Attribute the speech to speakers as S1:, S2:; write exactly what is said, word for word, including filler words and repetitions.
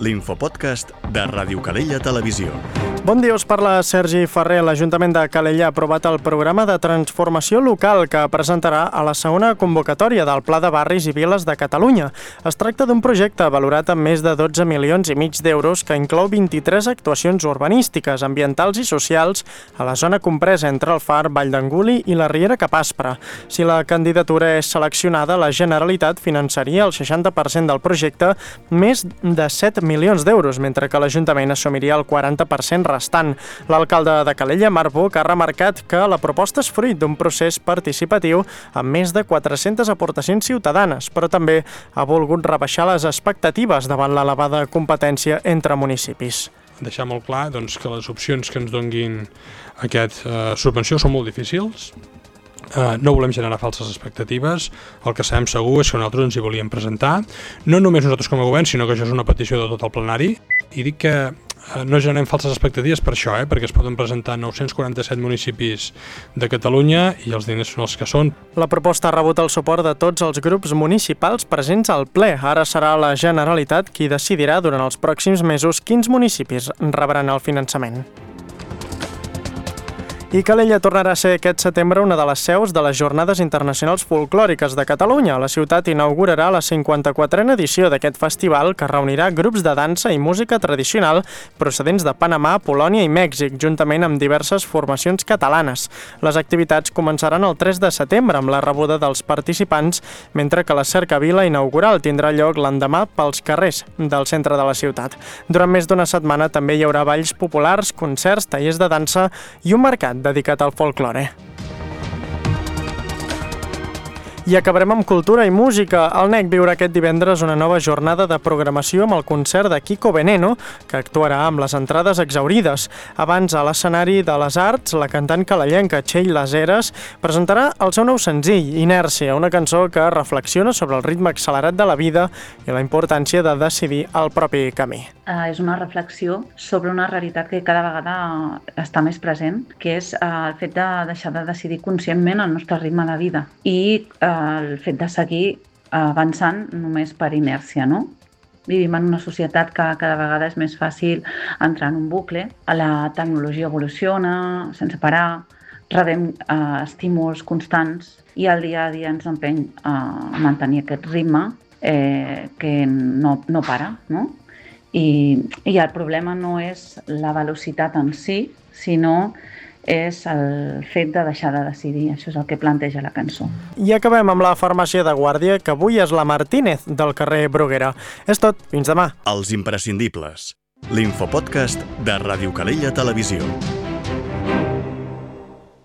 S1: l'infopodcast de Ràdio Calella Televisió.
S2: Bon dia, us parla Sergi Ferrer. L'Ajuntament de Calella ha aprovat el programa de transformació local que presentarà a la segona convocatòria del Pla de Barris i Viles de Catalunya. Es tracta d'un projecte valorat amb més de dotze milions i mig d'euros que inclou vint-i-tres actuacions urbanístiques, ambientals i socials a la zona compresa entre el Far, Vall d'Anguli i la Riera Capaspra. Si la candidatura és seleccionada, la Generalitat finançaria el seixanta per cent del projecte, més de set milions d'euros, mentre que l'Ajuntament assumiria el quaranta per cent restant. L'alcalde de Calella, Marc Buch, ha remarcat que la proposta és fruit d'un procés participatiu amb més de quatre-centes aportacions ciutadanes, però també ha volgut rebaixar les expectatives davant l'elevada competència entre municipis.
S3: Deixar molt clar doncs, que les opcions que ens donguin aquesta eh, subvenció són molt difícils. Uh, no volem generar falses expectatives. El que sabem segur és que nosaltres ens hi volíem presentar, no només nosaltres com a govern, sinó que això és una petició de tot el plenari, i dic que uh, no generem falses expectatives per això, eh? perquè es poden presentar nou-cents quaranta-set municipis de Catalunya i els diners són els que són.
S2: La proposta ha rebut el suport de tots els grups municipals presents al ple. Ara serà la Generalitat qui decidirà durant els pròxims mesos quins municipis rebran el finançament. I Calella tornarà a ser aquest setembre una de les seus de les Jornades Internacionals Folclòriques de Catalunya. La ciutat inaugurarà la cinquanta-quatrena edició d'aquest festival que reunirà grups de dansa i música tradicional procedents de Panamà, Polònia i Mèxic, juntament amb diverses formacions catalanes. Les activitats començaran el tres de setembre amb la rebuda dels participants, mentre que la cercavila inaugural tindrà lloc l'endemà pels carrers del centre de la ciutat. Durant més d'una setmana també hi haurà balls populars, concerts, tallers de dansa i un mercat dedicat al folklore. I acabarem amb cultura i música. El N E C viurà aquest divendres una nova jornada de programació amb el concert de Kiko Veneno, que actuarà amb les entrades exhaurides. Abans, a l'escenari de les Arts, la cantant calellenca Txell Les Heres presentarà el seu nou senzill, Inèrcia, una cançó que reflexiona sobre el ritme accelerat de la vida i la importància de decidir el propi camí.
S4: Uh, és una reflexió sobre una realitat que cada vegada està més present, que és uh, el fet de deixar de decidir conscientment el nostre ritme de vida i uh, el fet de seguir avançant només per inèrcia, no? Vivim en una societat que cada vegada és més fàcil entrar en un bucle, la tecnologia evoluciona sense parar, rebem uh, estímuls constants i el dia a dia ens empeny a mantenir aquest ritme eh, que no, no para, no? I, I el problema no és la velocitat en si, sinó és el fet de deixar de decidir. Això és el que planteja la cançó.
S2: I acabem amb la farmàcia de guàrdia, que avui és la Martínez, del carrer Bruguera. És tot, fins demà.
S1: Els imprescindibles. L'infopodcast de Ràdio Calella Televisió.